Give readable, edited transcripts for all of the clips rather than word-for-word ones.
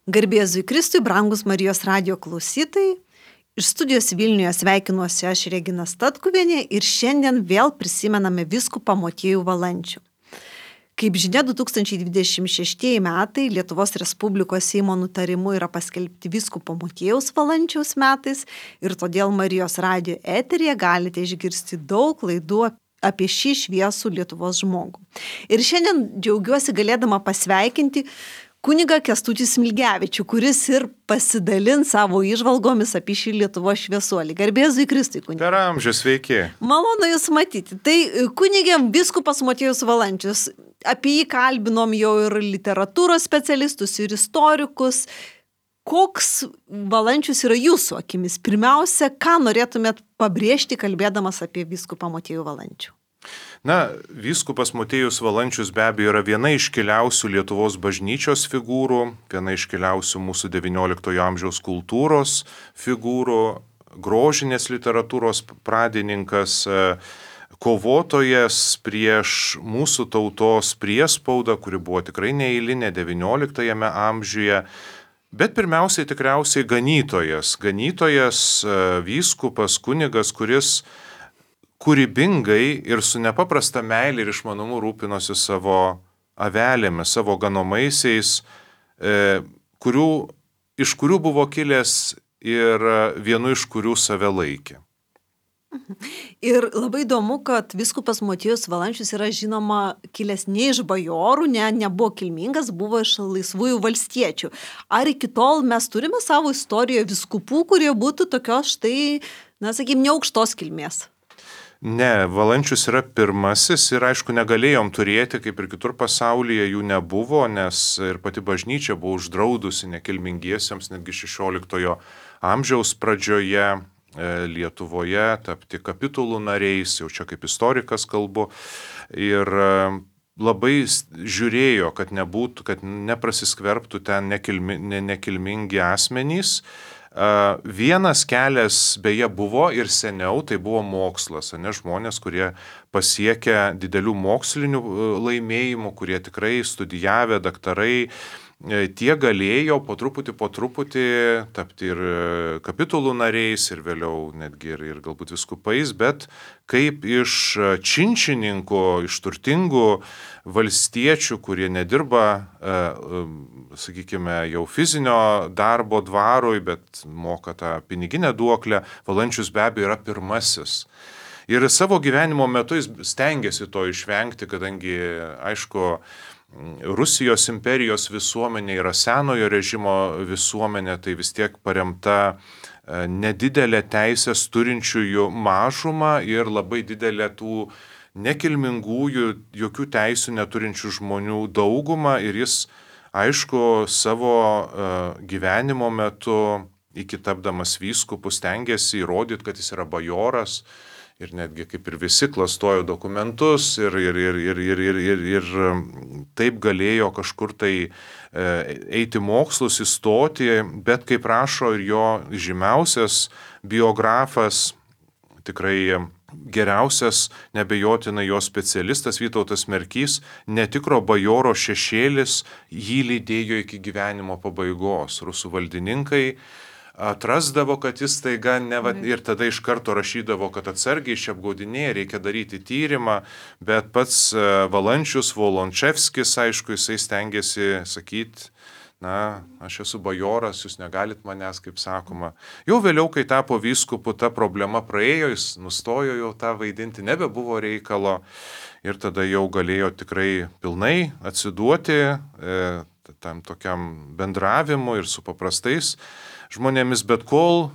Garbė Jėzui Kristui, brangus Marijos radijo klausytojai. Iš studijos Vilniuje sveikinuosi aš Regina Statkuvienė ir šiandien vėl prisimename vyskupą Motiejų Valančių. Kaip žinia, 2026 metai Lietuvos Respublikos Seimo nutarimu yra paskelbti vyskupo Motiejaus Valančiaus metais ir todėl Marijos radijo eteryje galite išgirsti daug laidų apie šį šviesų Lietuvos žmogų. Ir šiandien džiaugiuosi galėdama pasveikinti kunigą Kęstutį Smilgevičių, kuris ir pasidalins savo įžvalgomis apie šį Lietuvos šviesuolį. Garbė Jėzui Kristui, kunigė. Per amžius, sveiki. Malonu Jūs matyti. Tai kunigėm vyskupas Motiejus Valančius. Apie jį kalbinom jau ir literatūros specialistus, ir istorikus. Koks Valančius yra jūsų akimis? Pirmiausia, ką norėtumėt pabrėžti, kalbėdamas apie vyskupą Motiejų Valančių? Na, vyskupas Motiejus Valančius be abejo yra viena iškiliausių Lietuvos bažnyčios figūrų, viena iškiliausių mūsų XIX amžiaus kultūros figūrų, grožinės literatūros pradininkas, kovotojas prieš mūsų tautos priespaudą, kuri buvo tikrai neeilinė XIX amžiuje, bet pirmiausiai tikriausiai ganytojas, vyskupas, kunigas, kuris kūrybingai ir su nepaprasta meilė ir išmanumu rūpinosi savo avelėmis, savo ganomaisiais, iš kurių buvo kilęs ir vienu iš kurių save laikė. Ir labai įdomu, kad vyskupas Motiejus Valančius yra žinoma kilęs ne iš bajorų, nebuvo kilmingas, buvo iš laisvųjų valstiečių. Ar iki tol mes turime savo istorijoje vyskupų, kurie būtų tokios štai, neaukštos kilmės? Ne, Valančius yra pirmasis ir aišku negalėjom turėti, kaip ir kitur pasaulyje jų nebuvo, nes ir pati bažnyčia buvo uždraudusi nekilmingiesiems netgi XVI amžiaus pradžioje Lietuvoje tapti kapitulų nariais, jau čia kaip istorikas kalbu, ir labai žiūrėjo, kad neprasiskverbtų ten nekilmingi asmenys. Vienas kelias beje buvo ir seniau, tai buvo mokslas, žmonės, kurie pasiekia didelių mokslinių laimėjimų, kurie tikrai studijavę, daktarai, tie galėjo po truputį tapti ir kapitulų nariais ir vėliau netgi ir galbūt viskupais, bet kaip iš činčininkų, iš turtingų valstiečių, kurie nedirba, sakykime, jau fizinio darbo dvarui, bet moka tą piniginę duoklę, Valančius be abejo yra pirmasis. Ir savo gyvenimo metu jis stengiasi to išvengti, kadangi, aišku, Rusijos imperijos visuomenė yra senojo režimo visuomenė, tai vis tiek paremta nedidelė teisės turinčiųjų mažuma ir labai didelė tų nekilmingųjų, jokių teisių neturinčių žmonių dauguma. Ir jis, aišku, savo gyvenimo metu, iki tapdamas vyskupu, stengiasi įrodyti, kad jis yra bajoras. Ir netgi kaip ir visi klastojo dokumentus ir taip galėjo kažkur tai eiti mokslus, įstoti, bet kaip rašo ir jo žymiausias biografas, tikrai geriausias, nebejotinai jo specialistas Vytautas Merkys, netikro bajoro šešėlis jį lydėjo iki gyvenimo pabaigos. Rusų valdininkai atrasdavo, kad jis taiga ir tada iš karto rašydavo, kad atsargiai čia apgaudinėja, reikia daryti tyrimą, bet pats Valančius, Volončevskis, aišku, jisai stengiasi sakyti, aš esu bajoras, jūs negalit manęs, kaip sakoma. Jau vėliau, kai tapo vyskupu, ta problema praėjo, jis nustojo jau tą vaidinti, nebebuvo reikalo ir tada jau galėjo tikrai pilnai atsiduoti tam tokiam bendravimui ir su paprastais žmonėmis, bet kol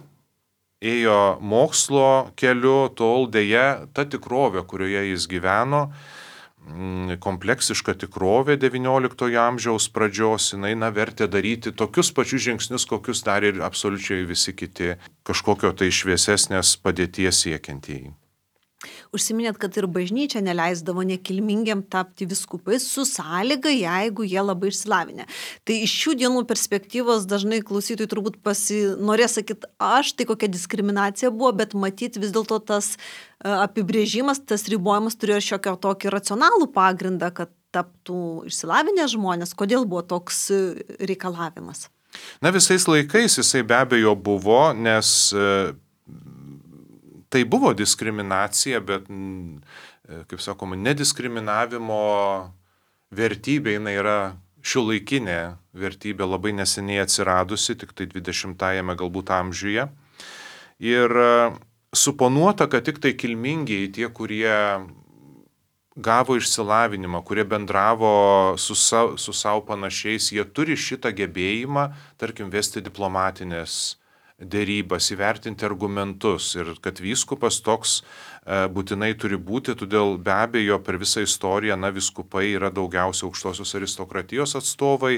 ėjo mokslo keliu, tol dėja ta tikrovė, kurioje jis gyveno, kompleksiška tikrovė XIX amžiaus pradžios, jinai vertė daryti tokius pačius žingsnius, kokius darė ir absoliučiai visi kiti kažkokio tai šviesesnės padėties siekiantieji. Užsiminėt, kad ir bažnyčia neleisdavo nekilmingiam tapti vyskupais su sąlyga, jeigu jie labai išsilavinę. Tai iš šių dienų perspektyvos dažnai klausytojai turbūt norės sakyti, tai kokia diskriminacija buvo, bet matyti vis dėlto tas apibrėžimas, tas ribojimas turėjo šiokio tokį racionalų pagrindą, kad taptų išsilavinę žmonės. Kodėl buvo toks reikalavimas? Na, visais laikais jisai be abejo buvo, nes tai buvo diskriminacija, bet, kaip sakoma, nediskriminavimo vertybė, jinai yra šiuolaikinė vertybė, labai neseniai atsiradusi, tik tai 20-ame galbūt amžiuje. Ir suponuota, kad tik tai kilmingieji, tie, kurie gavo išsilavinimą, kurie bendravo su savo panašiais, jie turi šitą gebėjimą, tarkim, vesti diplomatinės dėrybas, įvertinti argumentus ir kad vyskupas toks būtinai turi būti, todėl be abejo per visą istoriją, vyskupai yra daugiausia aukštosios aristokratijos atstovai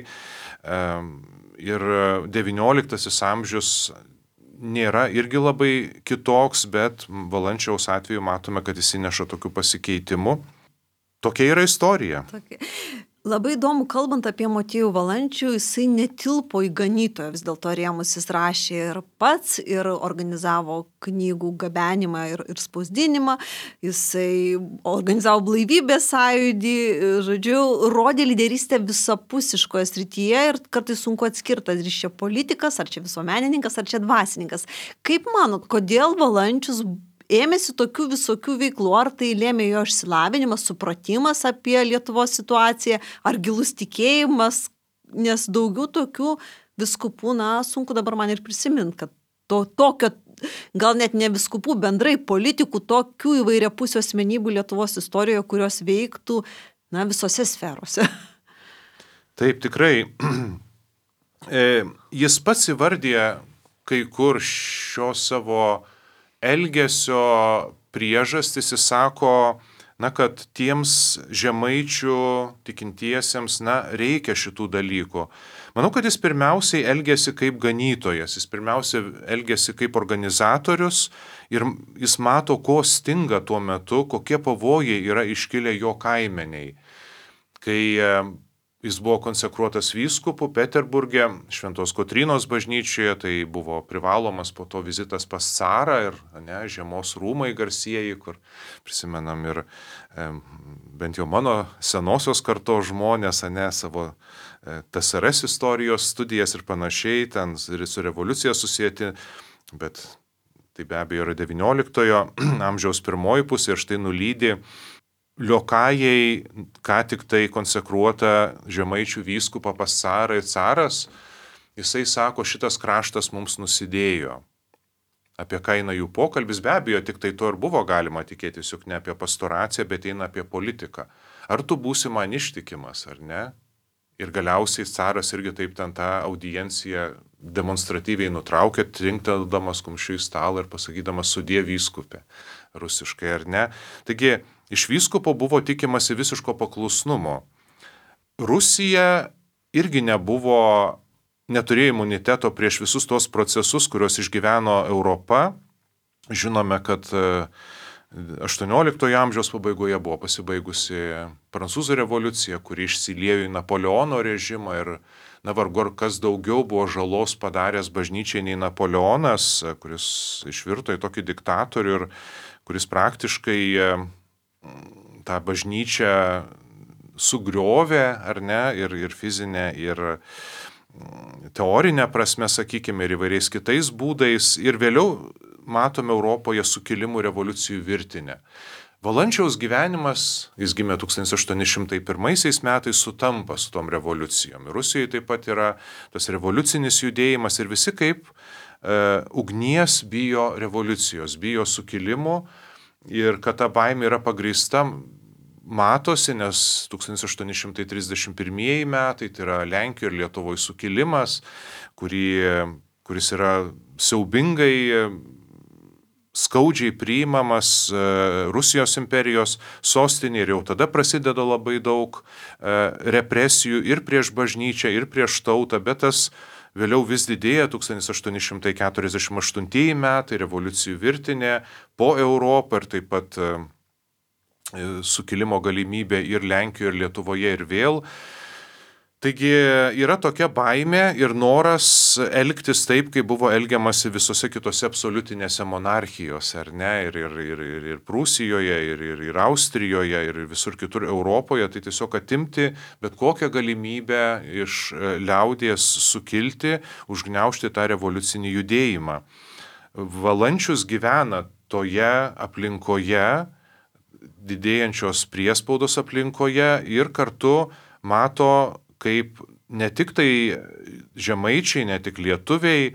ir XIX amžius nėra irgi labai kitoks, bet Valančiaus atveju matome, kad jis įneša tokių pasikeitimų. Tokia yra istorija. Labai įdomu, kalbant apie Motiejų Valančių, jisai netilpo į ganytoją, vis dėlto rėmus jis rašė ir pats, ir organizavo knygų gabenimą ir spausdinimą, jisai organizavo blaivybės sąjūdį, žodžiu, rodė lyderystę visapusiškoje srityje ir kartais sunku atskirti, ar čia politikas, ar čia visuomenininkas, ar čia dvasininkas. Kaip manot, kodėl Valančius ėmėsi tokių visokių veiklų, ar tai lėmė jo išsilavinimas, supratimas apie Lietuvos situaciją, ar gilus tikėjimas, nes daugiau tokių viskupų, sunku dabar man ir prisiminti, kad tokio, gal net ne viskupų, bendrai politikų, tokių įvairiapusių asmenybių Lietuvos istorijoje, kurios veiktų, visose sferose. Taip, tikrai. Jis pats įvardė kai kur šio savo elgesio priežastis, jis sako, kad tiems žemaičių tikintiesiems, reikia šitų dalykų. Manau, kad jis pirmiausiai elgėsi kaip ganytojas, jis pirmiausiai elgėsi kaip organizatorius ir jis mato, ko stinga tuo metu, kokie pavojai yra iškilę jo kaimeniai. Kai jis buvo konsekruotas vyskupu Peterburge, Šventos Kotrynos bažnyčioje, tai buvo privalomas po to vizitas pas carą ir žiemos rūmai garsieji, kur prisimenam ir bent jau mano senosios kartos žmonės, savo TSRS istorijos studijas ir panašiai, ten ir su revoliucija susijęti, bet tai be abejo yra XIX amžiaus pirmoji pusė ir štai nulydi liokajai, ką tik tai konsekruota žemaičių vyskupą pas carą ir caras, jisai sako, šitas kraštas mums nusidėjo. Apie ką eina jų pokalbis, be abejo, tik tai to ir buvo galima tikėtis, juk ne apie pastoraciją, bet eina apie politiką. Ar tu būsi man ištikimas, ar ne? Ir galiausiai caras irgi taip ten tą audienciją demonstratyviai nutraukė, trinkteldamas kumščiu į stalą ir pasakydamas sudie vyskupė, rusiškai, ar ne? Taigi, iš vyskupo buvo tikimasi visiško paklusnumo. Rusija irgi neturėjo imuniteto prieš visus tos procesus, kuriuos išgyveno Europa. Žinome, kad 18 amžiaus pabaigoje buvo pasibaigusi Prancūzų revoliucija, kuri išsiliejo į Napoleono režimą ir vargu ar kas daugiau buvo žalos padaręs bažnyčiai nei Napoleonas, kuris išvirto į tokį diktatorių ir kuris praktiškai tą bažnyčią sugriovė, ar ne, ir fizinę, ir teorinę prasme, sakykime, ir įvairiais kitais būdais. Ir vėliau matome Europoje sukilimų revoliucijų virtinę. Valančiaus gyvenimas, jis gimė 1801 metais, sutampa su tom revoliucijom. Rusijoje taip pat yra tas revoliucinis judėjimas ir visi kaip ugnies bijo revoliucijos, bijo sukilimų. Ir kad ta baimė yra pagrįsta, matosi, nes 1831 metai, tai yra Lenkijoje ir Lietuvoje sukilimas, kuris yra siaubingai, skaudžiai priimamas Rusijos imperijos sostinė ir jau tada prasideda labai daug represijų ir prieš bažnyčią, ir prieš tautą, bet tas vėliau vis didėja 1848 metai, revoliucijų virtinė po Europą ir taip pat sukilimo galimybė ir Lenkijoje, ir Lietuvoje ir vėl. Taigi yra tokia baimė ir noras elgtis taip, kaip buvo elgiamasi visose kitose absoliutinėse monarchijose, ar ne, ir Prūsijoje, ir Austrijoje, ir visur kitur Europoje, tai tiesiog atimti bet kokią galimybę iš liaudies sukilti, užgniaužti tą revoliucinį judėjimą. Valančius gyvena toje aplinkoje, didėjančios priespaudos aplinkoje ir kartu mato, kaip ne tik tai žemaičiai, ne tik lietuviai,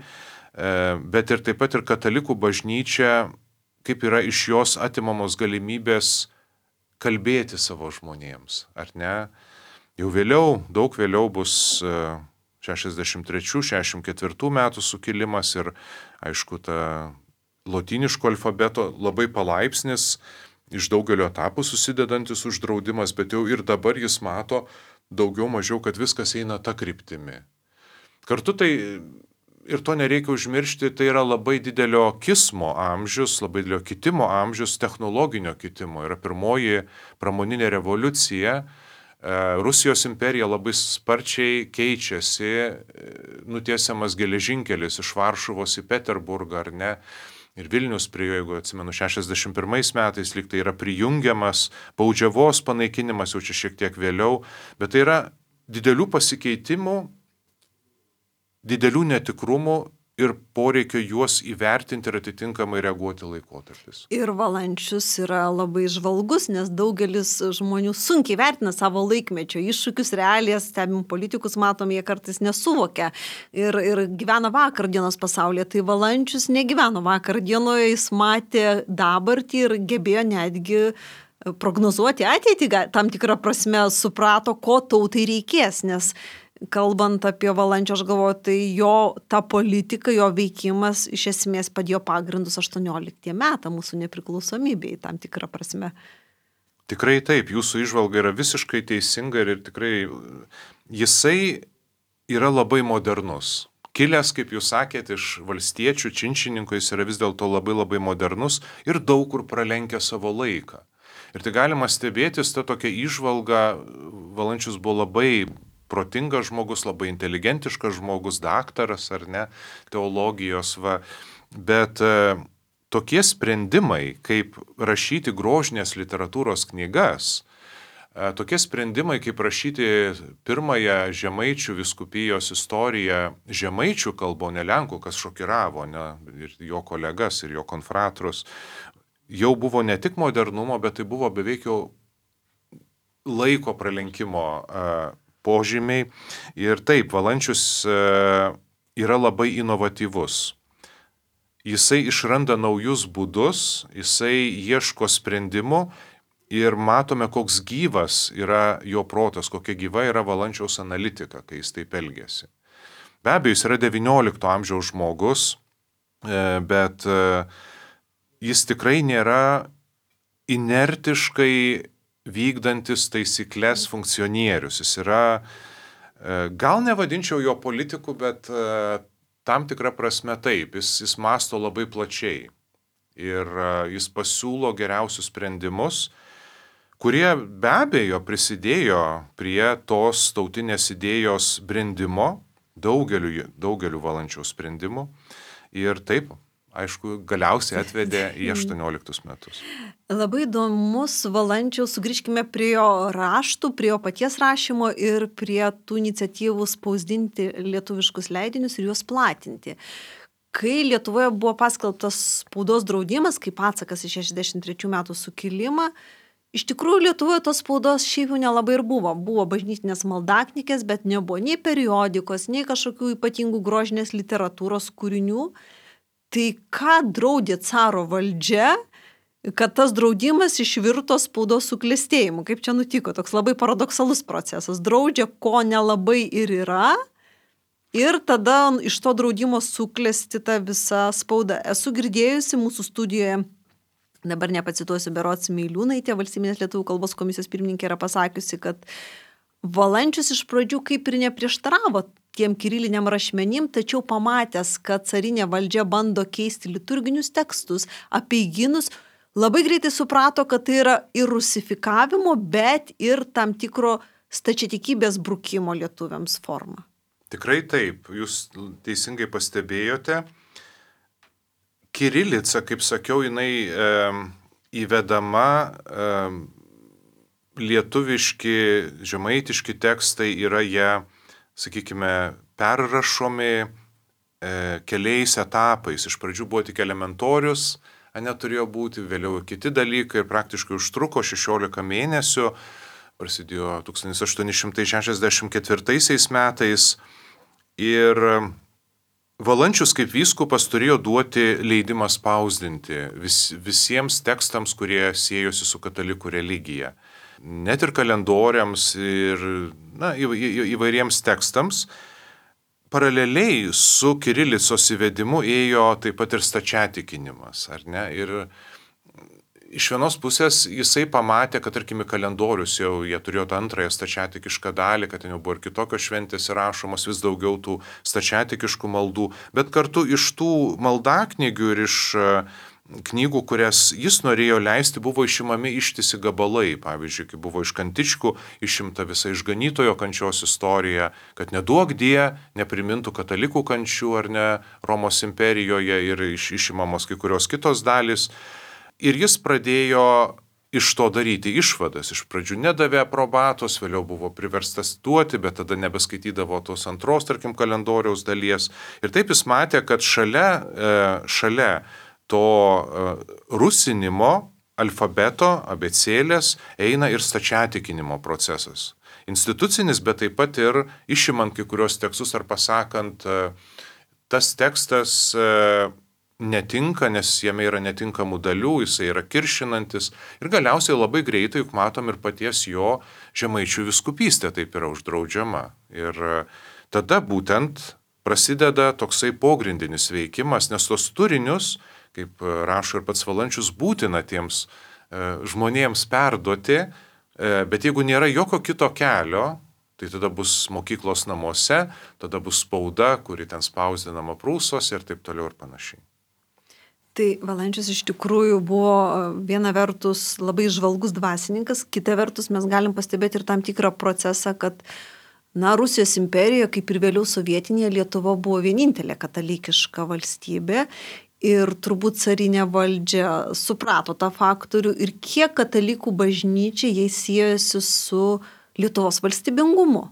bet ir taip pat ir katalikų bažnyčia, kaip yra iš jos atimamos galimybės kalbėti savo žmonėms, ar ne? Jau vėliau, daug vėliau bus 63-64 metų sukilimas ir, aišku, ta lotyniško alfabeto labai palaipsnis, iš daugelio etapų susidedantis uždraudimas, bet jau ir dabar jis mato daugiau mažiau, kad viskas eina ta kryptimi. Kartu tai, ir to nereikia užmiršti, tai yra labai didelio kismo amžius, labai didelio kitimo amžius, technologinio kitimo. Yra pirmoji pramoninė revoliucija. Rusijos imperija labai sparčiai keičiasi, nutiesiamas geležinkelis iš Varšuvos į Peterburgą, ar ne? Ir Vilnius prie jo, jeigu atsimenu, 61 metais lyg tai yra prijungiamas, baudžiavos panaikinimas jau čia šiek tiek vėliau, bet tai yra didelių pasikeitimų, didelių netikrumų ir poreikio juos įvertinti ir atitinkamai reaguoti laikotarpis. Ir Valančius yra labai žvalgus, nes daugelis žmonių sunkiai vertina savo laikmečio iššūkius, realijas, stebim politikus, matom, jie kartais nesuvokia ir gyvena vakardienos pasaulyje. Tai Valančius negyveno vakardienoje, jis matė dabartį ir gebėjo netgi prognozuoti ateitį, tam tikrą prasme suprato, ko tautai reikės, nes kalbant apie Valančių, aš galvoju, tai jo ta politika, jo veikimas iš esmės padėjo pagrindus 18 metą mūsų nepriklausomybei, tam tikrą prasme. Tikrai taip, jūsų įžvalga yra visiškai teisinga ir tikrai jisai yra labai modernus. Kilęs, kaip jūs sakėt, iš valstiečių činčininkų, jis yra vis dėlto labai modernus ir daug kur pralenkia savo laiką. Ir tai galima stebėtis, ta tokia įžvalga, Valančius buvo labai protingas žmogus, labai inteligentiškas žmogus, daktaras ar ne, teologijos, bet tokie sprendimai, kaip rašyti grožinės literatūros knygas, tokie sprendimai, kaip rašyti pirmąją žemaičių vyskupijos istoriją žemaičių kalbo, ne lenkų, kas šokiravo, ne, ir jo kolegas, ir jo konfratrus, jau buvo ne tik modernumo, bet tai buvo beveik jau laiko pralenkimo požymiai. Ir taip, Valančius yra labai inovatyvus. Jisai išranda naujus būdus, jisai ieško sprendimų ir matome, koks gyvas yra jo protas, kokia gyva yra Valančiaus analitika, kai jis taip elgiasi. Be abejo, jis yra 19 amžiaus žmogus, bet jis tikrai nėra inertiškai vykdantis taisyklės funkcionierius. Jis yra, gal nevadinčiau jo politiku, bet tam tikrą prasme taip, jis mąsto labai plačiai ir jis pasiūlo geriausius sprendimus, kurie be abejo prisidėjo prie tos tautinės idėjos brendimo, daugeliu Valančiaus sprendimų ir taip, aišku, galiausiai atvedė į 18 metus. Labai įdomus Valančiaus, sugrįžkime prie jo raštų, prie jo paties rašymo ir prie tų iniciatyvų spausdinti lietuviškus leidinius ir juos platinti. Kai Lietuvoje buvo paskelbtas spaudos draudimas, kaip atsakas į 63 metų sukilimą, iš tikrųjų Lietuvoje tos spaudos šiaip jau nelabai ir buvo. Buvo bažnytinės maldaknygės, bet nebuvo nei periodikos, nei kažkokių ypatingų grožinės literatūros kūrinių. Tai ką draudė caro valdžia, kad tas draudimas išvirto spaudos suklestėjimu? Kaip čia nutiko? Toks labai paradoksalus procesas. Draudžia, ko nelabai ir yra, ir tada iš to draudimo suklesti ta visa spauda. Esu girdėjusi mūsų studijoje, dabar nepacituosiu, berods Meiliūnaitė, Valstybinės lietuvių kalbos komisijos pirmininkė, yra pasakiusi, kad Valančius iš pradžių kaip ir neprieštaravo tiem kiriliniam rašmenim, tačiau pamatęs, kad carinė valdžia bando keisti liturginius tekstus, apeigynus, labai greitai suprato, kad tai yra ir rusifikavimo, bet ir tam tikro stačiatikybės brukimo lietuviams forma. Tikrai taip, jūs teisingai pastebėjote. Kirilica, kaip sakiau, jinai įvedama, lietuviški, žemaitiški tekstai yra jie, sakykime, perrašomi keliais etapais. Iš pradžių buvo tik elementorius, neturėjo būti, vėliau kiti dalykai ir praktiškai užtruko 16 mėnesių, prasidėjo 1864 metais ir Valančius kaip vyskupas turėjo duoti leidimą spausdinti visiems tekstams, kurie siejosi su katalikų religija. Net ir kalendoriams ir įvairiems tekstams. Paraleliai su kirilicos įvedimu ėjo taip pat ir stačiatikinimas, ar ne? Ir iš vienos pusės jisai pamatė, kad tarkim į kalendorius jau jie turėjo tą antrąją stačiatikišką dalį, kad ten jau buvo ir kitokios šventės įrašomos, vis daugiau tų stačiatikiškų maldų, bet kartu iš tų maldaknygių ir iš knygų, kurias jis norėjo leisti, buvo išimami ištisi gabalai. Pavyzdžiui, kai buvo iš Kantičkų išimta visa išganytojo kančios istorija, kad neduok die neprimintų katalikų kančių ar ne Romos imperijoje ir išimamos kai kurios kitos dalys. Ir jis pradėjo iš to daryti išvadas. Iš pradžių nedavė aprobatos, vėliau buvo priverstas duoti, bet tada nebeskaitydavo tos antros, tarkim, kalendoriaus dalies. Ir taip jis matė, kad šalia to rusinimo alfabeto, abėcėlės eina ir stačiatikinimo procesas. Institucinis, bet taip pat ir išimant kai kurios tekstus ar pasakant, tas tekstas netinka, nes jame yra netinkamų dalių, jisai yra kiršinantis ir galiausiai labai greitai, juk matom ir paties jo žemaičių vyskupystė taip yra uždraudžiama. Ir tada būtent prasideda toksai pogrindinis veikimas, nes tos turinius, kaip rašo ir pats Valančius, būtina tiems žmonėms perduoti, bet jeigu nėra jokio kito kelio, tai tada bus mokyklos namuose, tada bus spauda, kuri ten spausdinama prūsuose ir taip toliau ir panašiai. Tai Valančius iš tikrųjų buvo viena vertus labai žvalgus dvasininkas, kita vertus mes galim pastebėti ir tam tikrą procesą, kad Rusijos imperija, kaip ir vėliau sovietinė, Lietuva buvo vienintelė katalikiška valstybė ir turbūt carinė valdžia suprato tą faktorių ir kiek katalikų bažnyčia jai siejasi su Lietuvos valstybingumu.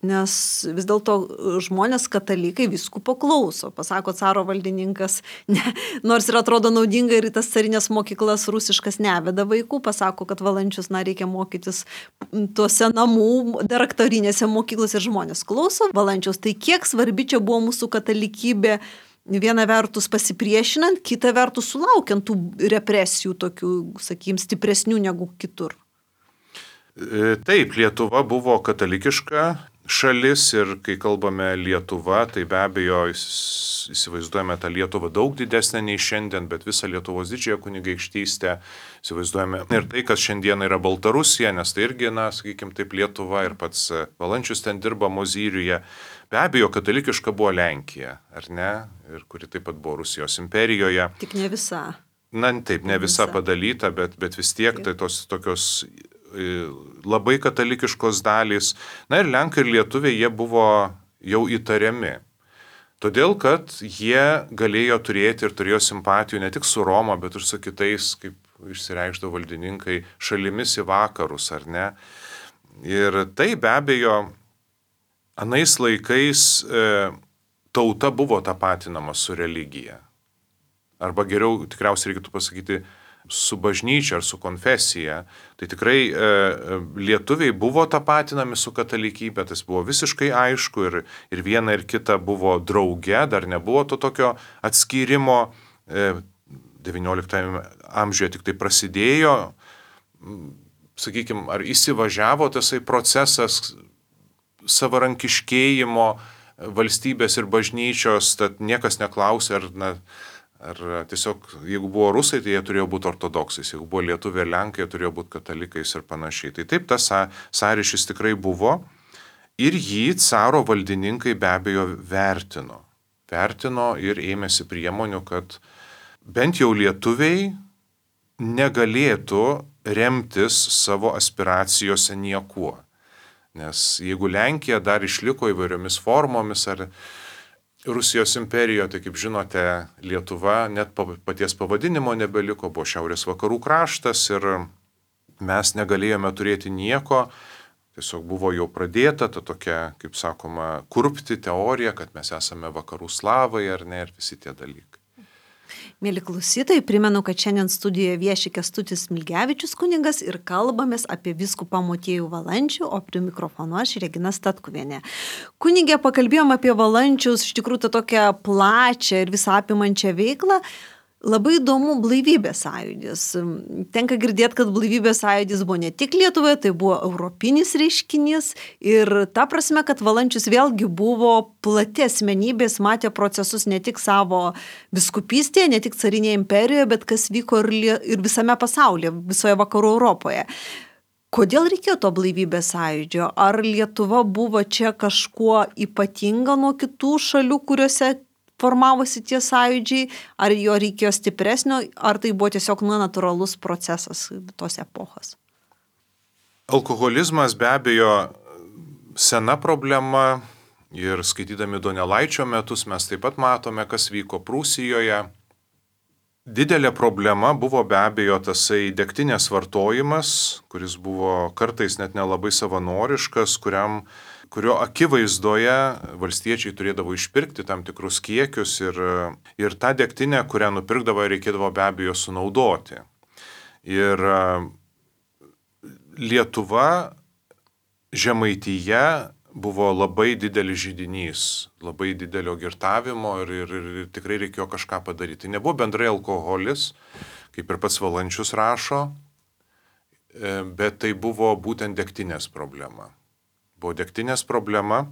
Nes vis dėlto žmonės katalikai vyskupo klauso. Pasako caro valdininkas, nors ir atrodo naudinga ir į tas carinės mokyklas rusiškas neveda vaikų, pasako, kad Valančius reikia mokytis tuose namų daraktorinėse mokyklose ir žmonės klauso Valančiaus. Tai kiek svarbi čia buvo mūsų katalikybė, viena vertus pasipriešinant, kita vertus sulaukiant tų represijų tokių, sakykim, stipresnių negu kitur. Taip, Lietuva buvo katalikiška šalis ir kai kalbame Lietuva, tai be abejo įsivaizduojame tą Lietuvą daug didesnę nei šiandien, bet visą Lietuvos didžiąją kunigaikštystę įsivaizduojame ir tai, kas šiandien yra Baltarusija, nes tai irgi, sakykime, taip Lietuva ir pats Valančius ten dirba Mozyriuje. Be abejo, katalikiška buvo Lenkija, ar ne? Ir kuri taip pat buvo Rusijos imperijoje. Tik ne visa. Taip, ne visa padalyta, bet vis tiek tai tos tokios labai katalikiškos dalys. Ir Lenkai ir Lietuviai jie buvo jau įtariami. Todėl, kad jie galėjo turėti ir turėjo simpatijų ne tik su Roma, bet ir su kitais, kaip išsireikšdavo valdininkai, šalimis į vakarus, ar ne? Ir tai be abejo, anais laikais tauta buvo tapatinama su religija. Arba geriau tikriausiai reikėtų pasakyti, su bažnyčia ar su konfesija, tai tikrai lietuviai buvo tapatinami su katalikybė, tas buvo visiškai aišku ir viena ir kita buvo drauge, dar nebuvo to tokio atskyrimo, 19 amžiuje tik tai prasidėjo, sakykime, ar įsivažiavo tasai procesas savarankiškėjimo valstybės ir bažnyčios, tad niekas neklausė, ar tiesiog, jeigu buvo rusai, tai jie turėjo būti ortodoksais, jeigu buvo lietuviai ir lenkai, jie turėjo būti katalikais ir panašiai. Tai taip, tas sąryšis tikrai buvo ir jį caro valdininkai be abejo vertino ir ėmėsi priemonių, kad bent jau lietuviai negalėtų remtis savo aspiracijose niekuo. Nes jeigu Lenkija dar išliko įvairiomis formomis ar Rusijos imperijoje, tai kaip žinote, Lietuva net paties pavadinimo nebeliko, buvo šiaurės vakarų kraštas ir mes negalėjome turėti nieko. Tiesiog buvo jau pradėta ta tokia, kaip sakoma, kurpti teorija, kad mes esame vakarų slavai ar ne, ir visi tie dalykai. Mėly klausytojai, primenu, kad šiandien studijoje vieši Kęstutis Smilgevičius kunigas ir kalbamės apie vyskupą Motiejų Valančių, o prie mikrofono aš Regina Statkuvienė. Kunigė, pakalbėjom apie Valančiaus, iš tikrųjų tą tokią plačią ir visą apimančią veiklą. Labai įdomu blaivybės sąjūdis. Tenka girdėti, kad blaivybės sąjūdis buvo ne tik Lietuvoje, tai buvo europinis reiškinys ir ta prasme, kad Valančius vėlgi buvo plati asmenybės, matė procesus ne tik savo viskupystėje, ne tik carinėje imperijoje, bet kas vyko ir visame pasaulyje, visoje vakarų Europoje. Kodėl reikėjo to blaivybės sąjūdžio? Ar Lietuva buvo čia kažkuo ypatinga nuo kitų šalių, kuriuose formavosi tie sąjūdžiai, ar jo reikėjo stipresnio, ar tai buvo tiesiog natūralus procesas tos epochos? Alkoholizmas be abejo sena problema ir skaitydami Donelaičio metus mes taip pat matome, kas vyko Prūsijoje. Didelė problema buvo be abejo tasai degtinės vartojimas, kuris buvo kartais net nelabai savanoriškas, kurio akivaizdoje valstiečiai turėdavo išpirkti tam tikrus kiekius ir tą degtinę, kurią nupirkdavo, reikėdavo be abejo sunaudoti. Ir Lietuva, Žemaitija buvo labai didelis židinys, labai didelio girtavimo ir tikrai reikėjo kažką padaryti. Tai nebuvo bendrai alkoholis, kaip ir pats Valančius rašo, bet tai buvo būtent degtinės problema. Buvo degtinės problema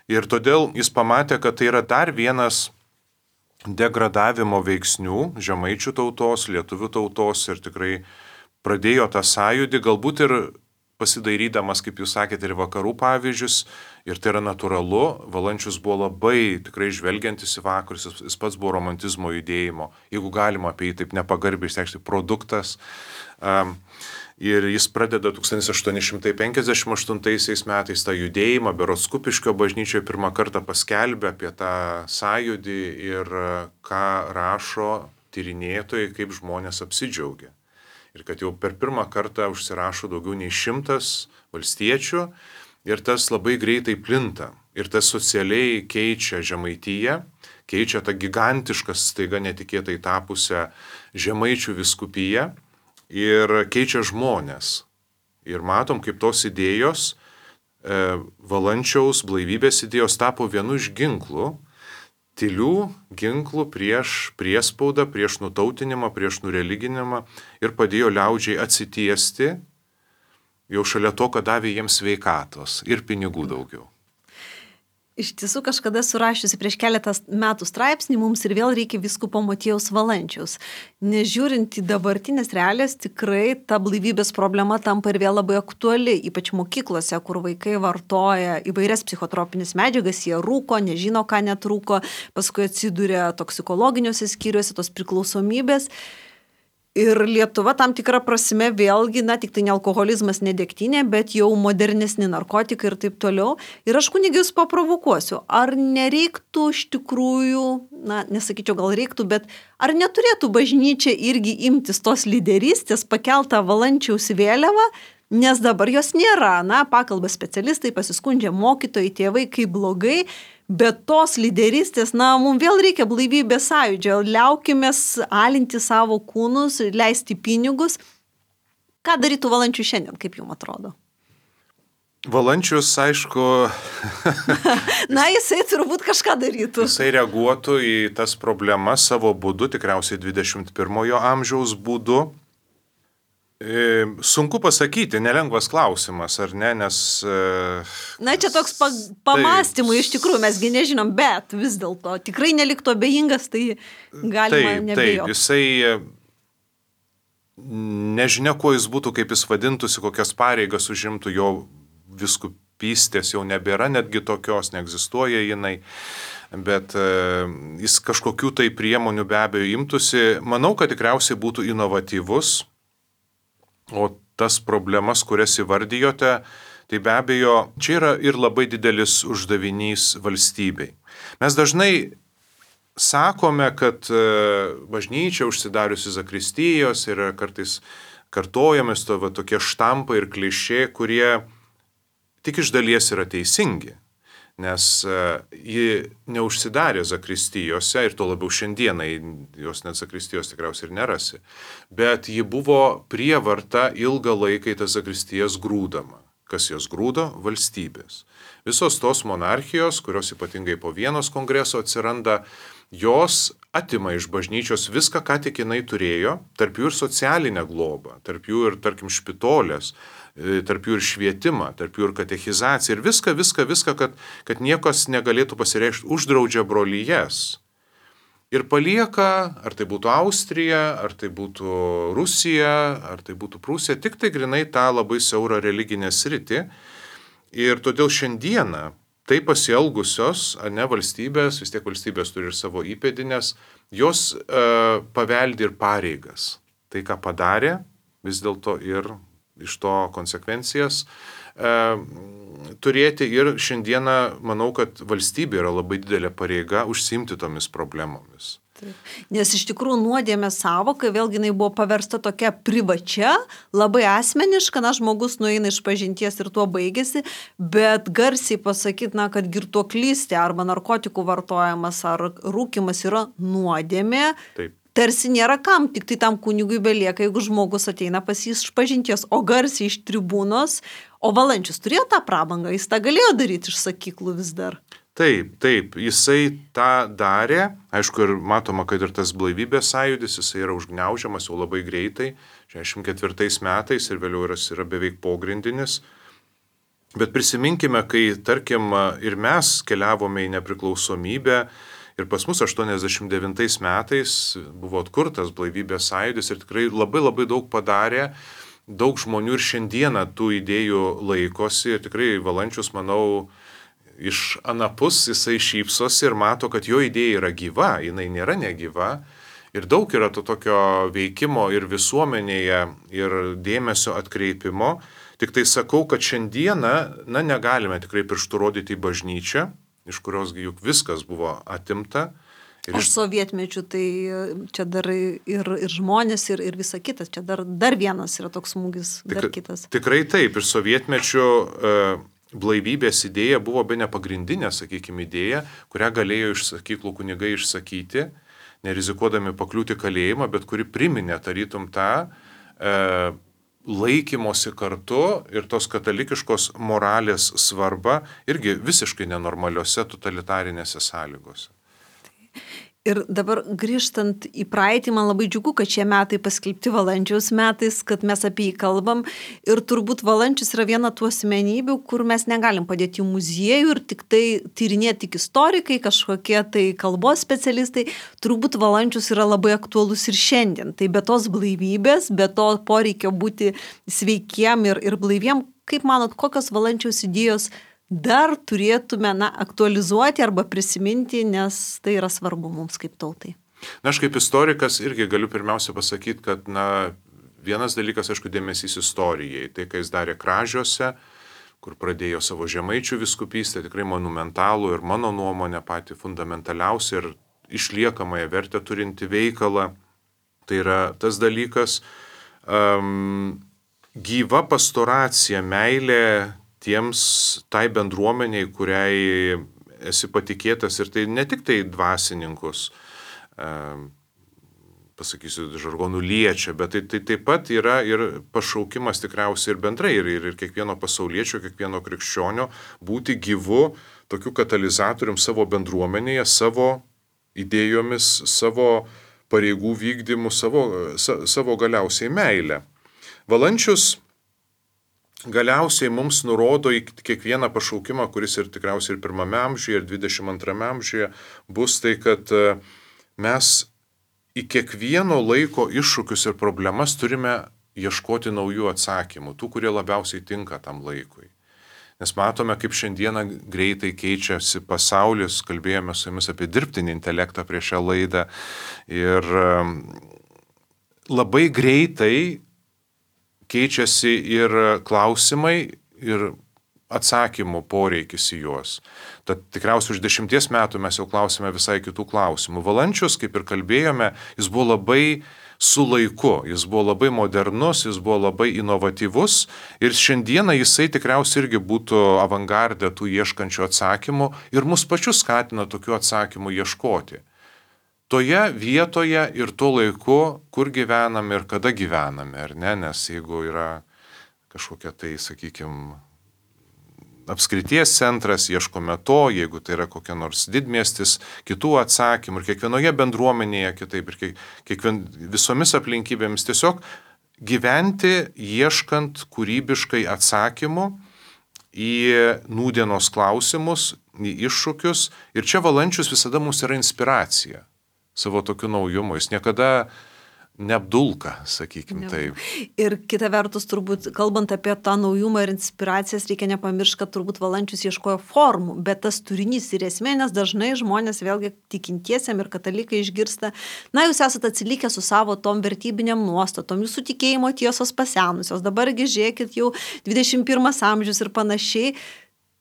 ir todėl jis pamatė, kad tai yra dar vienas degradavimo veiksnių žemaičių tautos, lietuvių tautos ir tikrai pradėjo tą sąjūdį, galbūt ir pasidairydamas, kaip jūs sakėte, ir vakarų pavyzdžius, ir tai yra natūralu. Valančius buvo labai tikrai žvelgiantis į vakarus, jis pats buvo romantizmo judėjimo, jeigu galima apie jį taip nepagarbiai išreikšti, produktas. Ir jis pradeda 1858 metais tą judėjimą, berods Kupiškio bažnyčioje pirmą kartą paskelbė apie tą sąjūdį ir ką rašo tyrinėtojai, kaip žmonės apsidžiaugia. Ir kad jau per pirmą kartą užsirašo daugiau nei 100 valstiečių ir tas labai greitai plinta. Ir tas socialiai keičia Žemaitiją, keičia tą gigantišką, staiga netikėtai tapusią žemaičių vyskupiją. Ir keičia žmonės. Ir matom, kaip tos idėjos, Valančiaus blaivybės idėjos tapo vienu iš ginklų, tylių ginklų prieš priespaudą, prieš nutautinimą, prieš nureliginimą ir padėjo liaudžiai atsitiesti, jau šalia to, kad davė jiems sveikatos ir pinigų daugiau. Iš tiesų kažkada surašiusi prieš keletą metų straipsnį, mums ir vėl reikia vyskupo Motiejaus Valančiaus. Nežiūrint į dabartinės realijas, tikrai ta blaivybės problema tampa ir vėl labai aktuali, ypač mokyklose, kur vaikai vartoja įvairias psichotropinės medžiagas, jie rūko, nežino, ką net rūko, paskui atsiduria toksikologiniuose skyriuose, tos priklausomybės. Ir Lietuva tam tikrą prasme vėlgi, tik tai ne alkoholizmas, ne degtinė, bet jau modernesni narkotikai ir taip toliau. Ir aš kunigius paprovokuosiu, ar nereiktų iš tikrųjų, nesakyčiau gal reiktų, bet ar neturėtų bažnyčia irgi imtis tos lyderystės, pakeltą Valančiaus vėliavą, nes dabar jos nėra, pakalba specialistai, pasiskundžia mokytojai, tėvai, kaip blogai. Bet tos lyderystės, mums vėl reikia blaivybės sąjūdžio, liaukimės alinti savo kūnus, leisti pinigus. Ką darytų Valančius šiandien, kaip jums atrodo? Valančius, aišku... Jisai turbūt kažką darytų. Jisai reaguotų į tas problemas savo būdu, tikriausiai 21 amžiaus būdu. Sunku pasakyti, nelengvas klausimas, ar ne, nes... čia toks pamastymai iš tikrųjų, mesgi nežinom, bet vis dėlto tikrai neliktų abejingas, tai galima nebijoti. Taip, jisai nežinia, kuo jis būtų, kaip jis vadintųsi, kokias pareigas užimtų, jo vyskupystės jau nebėra, netgi tokios neegzistuoja jinai, bet jis kažkokių tai priemonių be abejo imtųsi. Manau, kad tikriausiai būtų inovatyvus. O tas problemas, kurias įvardijote, tai be abejo čia yra ir labai didelis uždavinys valstybei. Mes dažnai sakome, kad bažnyčia užsidariusi zakristijos yra kartais kartojamis tokie štampai ir klišė, kurie tik iš dalies yra teisingi. Nes ji neužsidarė zakristijose ir to labiau šiandienai, jos net zakristijos tikriausiai ir nerasi, bet ji buvo prievarta ilgą laiką į tas zakristijas grūdama. Kas jos grūdo? Valstybės. Visos tos monarchijos, kurios ypatingai po Vienos kongreso atsiranda, jos atima iš bažnyčios viską, ką tik jinai turėjo, tarp jų ir socialinę globą, tarp jų ir, tarkim, špitolės, tarp jų ir švietimą, tarp jų ir katechizaciją ir viską, kad niekas negalėtų pasireikšti, uždraudžia brolyjes. Ir palieka, ar tai būtų Austrija, ar tai būtų Rusija, ar tai būtų Prūsija, tik tai grinai tą labai siaurą religinę sritį. Ir todėl šiandieną tai pasielgusios, valstybės, vis tiek valstybės turi ir savo įpėdinės, jos paveldi ir pareigas. Tai, ką padarė, vis dėlto ir iš to konsekvencijas turėti. Ir šiandieną manau, kad valstybė yra labai didelė pareiga užsiimti tomis problemomis. Taip. Nes iš tikrųjų nuodėmės sąvoka, vėlgi jinai buvo paversta tokia privačia, labai asmeniška, žmogus nueina iš pažinties ir tuo baigėsi, bet garsiai pasakyti, kad girtuoklystė arba narkotikų vartojimas ar rūkimas yra nuodėmė. Taip. Tarsi nėra kam, tik tai tam kunigui belieka, jeigu žmogus ateina pas jį iš pažinties, o garsiai iš tribūnos, o Valančius turėjo tą prabangą, jis tą galėjo daryti iš sakyklų vis dar. Taip, jisai tą darė, aišku, ir matoma, kad ir tas blaivybės sąjūdis, jisai yra užgniaužiamas jau labai greitai, 64 metais ir vėliau yra beveik pogrindinis. Bet prisiminkime, kai, tarkim, ir mes keliavome į nepriklausomybę ir pas mus 89 metais buvo atkurtas blaivybės sąjūdis ir tikrai labai daug padarė, daug žmonių ir šiandieną tų idėjų laikosi ir tikrai Valančius, manau, iš anapus jisai šypsosi ir mato, kad jo idėja yra gyva, jinai nėra negyva ir daug yra to tokio veikimo ir visuomenėje ir dėmesio atkreipimo. Tik tai sakau, kad šiandieną, negalime tikrai pirštų rodyti į bažnyčią, iš kurios juk viskas buvo atimta. Aš sovietmečių, tai čia dar ir žmonės, ir visa kita, čia dar vienas yra toks smūgis, dar kitas. Tikrai taip, ir sovietmečių blaivybės idėja buvo bene pagrindinė, sakykime, idėja, kurią galėjo iš sakyklų kunigai išsakyti, nerizikuodami pakliūti kalėjimą, bet kuri priminė tarytum tą laikymosi kartu ir tos katalikiškos moralės svarbą irgi visiškai nenormaliuose totalitarinėse sąlygose. Ir dabar grįžtant į praeitį, man labai džiugu, kad šie metai paskelbti Valančiaus metais, kad mes apie jį kalbam. Ir turbūt Valančius yra viena tų asmenybių, kur mes negalim padėti į muziejų ir tik tai tyrinėti tik istorikai, kažkokie tai kalbos specialistai. Turbūt Valančius yra labai aktualus ir šiandien. Tai be tos blaivybės, be to poreikio būti sveikiem ir blaiviem, kaip manot, kokios Valančiaus idėjos dar turėtume aktualizuoti arba prisiminti, nes tai yra svarbu mums kaip tautai. Aš kaip istorikas irgi galiu pirmiausia pasakyti, kad vienas dalykas, aišku, dėmesys istorijai. Tai, ką jis darė Kražiuose, kur pradėjo savo Žemaičių vyskupystę, tikrai monumentalų ir mano nuomonė pati fundamentaliausia ir išliekamąją vertę turinti veikalą. Tai yra tas dalykas, gyva pastoracija, meilė tai bendruomeniai, kuriai esi patikėtas, ir tai ne tik tai dvasininkus, pasakysiu, žargonų liečia, bet tai taip pat yra ir pašaukimas tikriausiai ir bendrai, ir kiekvieno pasauliečio, kiekvieno krikščionio būti gyvu tokiu katalizatorium savo bendruomenėje, savo idėjomis, savo pareigų vykdymu, savo galiausiai meilę. Valančius galiausiai mums nurodo į kiekvieną pašaukimą, kuris ir tikriausiai ir 1 amžiuje, ir 22 amžiuje bus, tai kad mes į kiekvieno laiko iššūkius ir problemas turime ieškoti naujų atsakymų, tų, kurie labiausiai tinka tam laikui. Nes matome, kaip šiandieną greitai keičiasi pasaulis, kalbėjome su jumis apie dirbtinį intelektą prieš šią laidą ir labai greitai keičiasi ir klausimai, ir atsakymų poreikis į juos. Tad tikriausiai už 10 metų mes jau klausime visai kitų klausimų. Valančius, kaip ir kalbėjome, jis buvo labai su laiku, jis buvo labai modernus, jis buvo labai inovatyvus ir šiandieną jisai tikriausiai irgi būtų avangardė tų ieškančių atsakymų ir mus pačius skatina tokių atsakymų ieškoti. Toje vietoje ir tuo laiku, kur gyvename ir kada gyvename, ar ne, nes jeigu yra kažkokia tai, sakykime, apskrities centras, ieškome to, jeigu tai yra kokia nors didmiestis, kitų atsakymų ir kiekvienoje bendruomenėje kitaip ir visomis aplinkybėmis tiesiog gyventi ieškant kūrybiškai atsakymų į nūdienos klausimus, į iššūkius. Ir čia Valančius visada mums yra inspiracija savo tokiu naujumu. Jis niekada neapdulka, sakykime taip. Ir kita vertus, turbūt, kalbant apie tą naujumą ir inspiracijas, reikia nepamiršti, kad turbūt Valančius ieškojo formų, bet tas turinys ir esmė, nes dažnai žmonės vėlgi tikintiesiam ir katalikai išgirsta, na, jūs esate atsilikę su savo tom vertybiniam nuostatom, jūsų tikėjimo tiesos pasenusios, dabargi žiūrėkit jau 21 amžius ir panašiai,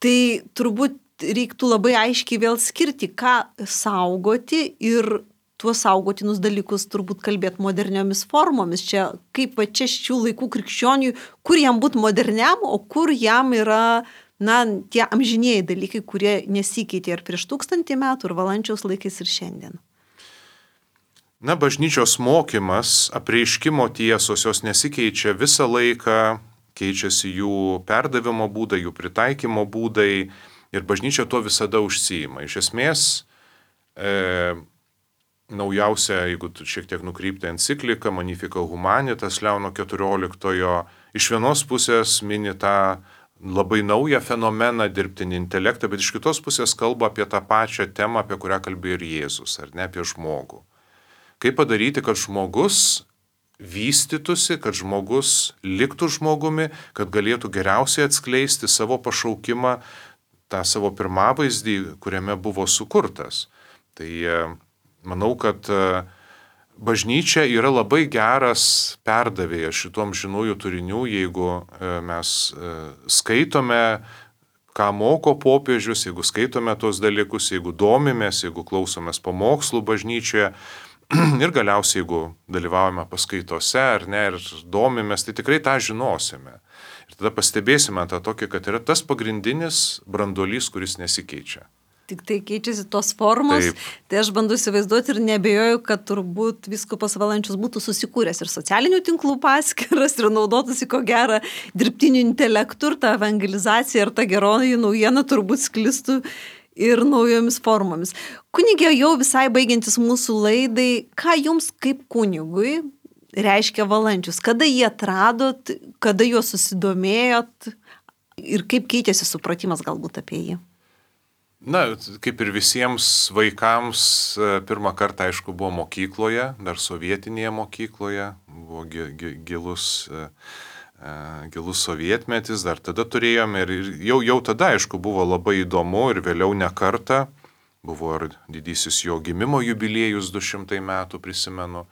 tai turbūt reiktų labai aiškiai vėl skirti, ką saugoti ir tuos saugotinus dalykus turbūt kalbėti moderniomis formomis. Čia kaip va čia šių laikų krikščioniui, kur jam būti moderniam, o kur jam yra, na, tie amžinėjai dalykai, kurie nesikeitė ir prieš 1000 metų, ir Valančiaus laikais, ir šiandien. Na, bažnyčios mokymas, apreiškimo tiesos, jos nesikeičia visą laiką, keičiasi jų perdavimo būdai, jų pritaikymo būdai ir bažnyčia tuo visada užsiima. Iš esmės, naujausia, jeigu šiek tiek nukrypti enciklika Magnificat Humanitas Leono XIV, iš vienos pusės mini tą labai naują fenomeną dirbtinį intelektą, bet iš kitos pusės kalba apie tą pačią temą, apie kurią kalbėjo ir Jėzus, ar ne, apie žmogų. Kaip padaryti, kad žmogus vystytųsi, kad žmogus liktų žmogumi, kad galėtų geriausiai atskleisti savo pašaukimą, tą savo pirmavaizdį, kuriame buvo sukurtas. Tai manau, kad bažnyčia yra labai geras perdavėjas šitom žinųjų turinių, jeigu mes skaitome, ką moko popiežius, jeigu skaitome tos dalykus, jeigu domimės, jeigu klausomės pamokslų bažnyčioje ir galiausiai, jeigu dalyvaujame paskaitose ar ne, ir domimės, tai tikrai tą žinosime. Ir tada pastebėsime tą tokį, kad yra tas pagrindinis branduolys, kuris nesikeičia. Tik tai keičiasi tos formos, taip. Tai aš bandu įsivaizduoti ir nebejoju, kad turbūt vyskupas Valančius būtų susikūręs ir socialinių tinklų paskyras ir naudotųsi ko gero dirbtiniu intelektu ir ta evangelizacija ir ta geroji naujiena turbūt sklistų ir naujomis formomis. Kunigė, jau visai baigiantis mūsų laidai, ką jums kaip kunigui reiškia Valančius? Kada jį atradot, kada juo susidomėjot ir kaip keitėsi supratimas galbūt apie jį? Na, kaip ir visiems vaikams, pirmą kartą, aišku, buvo mokykloje, dar sovietinėje mokykloje, buvo gilus sovietmetis, dar tada turėjome ir jau tada, aišku, buvo labai įdomu ir vėliau ne kartą, buvo ir didysis jo gimimo jubiliejus 200 metų, prisimenu,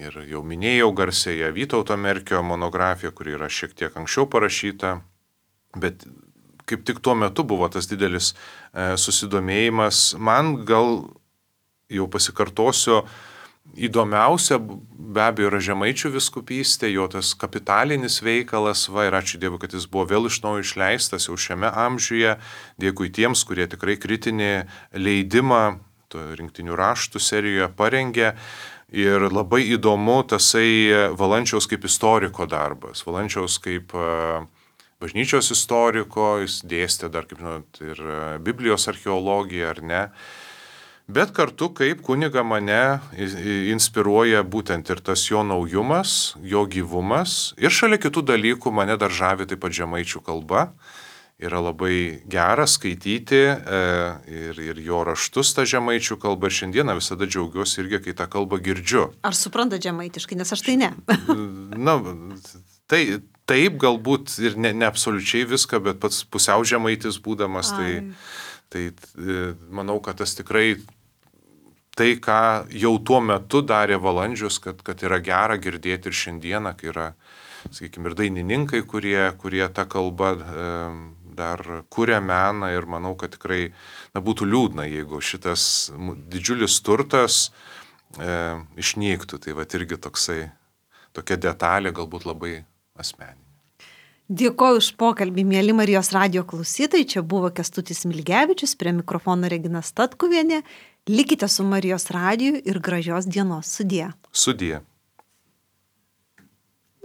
ir jau minėjau garsėje Vytauto Merkio monografiją, kuri yra šiek tiek anksčiau parašyta, bet kaip tik tuo metu buvo tas didelis susidomėjimas. Man gal, jau pasikartosiu, įdomiausia be abejo yra Žemaičių vyskupystė, jo tas kapitalinis veikalas, ir ačiū Dievui, kad jis buvo vėl iš naujo išleistas jau šiame amžiuje. Dėkui tiems, kurie tikrai kritinį leidimą rinktinių raštų serijoje parengė. Ir labai įdomu tasai Valančiaus kaip istoriko darbas, Valančiaus kaip bažnyčios istoriko, jis dėstė dar, kaip žinot, ir Biblijos archeologiją, ar ne. Bet kartu kaip kuniga mane inspiruoja būtent ir tas jo naujumas, jo gyvumas. Ir šalia kitų dalykų mane dar žavi taip pat žemaičių kalba. Yra labai gera skaityti ir jo raštus tą žemaičių kalbą. Ir šiandieną visada džiaugiuosi irgi, kai tą kalbą girdžiu. Ar supranta žemaitiškai, nes aš tai ne. Na, taip galbūt ir ne absoliučiai viską, bet pats pusiau žemaitis būdamas, tai manau, kad tas tikrai tai, ką jau tuo metu darė Valančius, kad yra gera girdėti ir šiandieną, kai yra, sakykime, ir dainininkai, kurie tą kalbą dar kuria meną ir manau, kad tikrai būtų liūdna, jeigu šitas didžiulis turtas išnyktų. Tai irgi tokia detalė galbūt labai asmeninė. Dėkoju už pokalbį, mėly Marijos radijo klausytojai. Čia buvo Kęstutis Smilgevičius, prie mikrofono Regina Statkuvienė. Likite su Marijos radiju ir gražios dienos. Sudie. Sudie.